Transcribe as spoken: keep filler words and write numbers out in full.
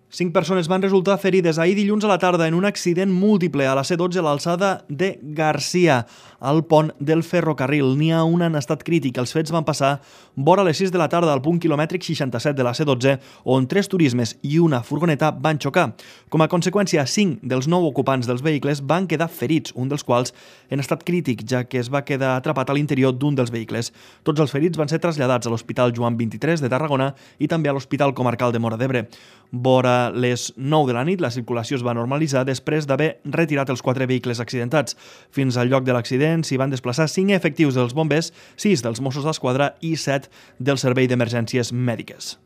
Cinc persones van resultar ferides ahir dilluns a la tarda en un accident múltiple a la C dotze a l'alçada de Garcia, al pont del ferrocarril. N'hi ha un en estat crític. Els fets van passar vora les sis de la tarda al punt quilomètric seixanta-set de la C dotze, on tres turismes i una furgoneta van xocar. Com a conseqüència, cinc dels nou ocupants dels vehicles van quedar ferits, un dels quals en estat crític, ja que es va quedar atrapat a l'interior d'un dels vehicles. Tots els ferits van ser traslladats a l'Hospital Joan vint-i-tres de Tarragona i també a l'Hospital Comarcal de Móra d'Ebre. Vora les nou de la nit, la circulació es va normalitzar després d'haver retirat els quatre vehicles accidentats. Fins al lloc de l'accident s'hi van desplaçar cinc efectius dels bombers, sis dels Mossos d'Esquadra i set del Servei d'Emergències Mèdiques.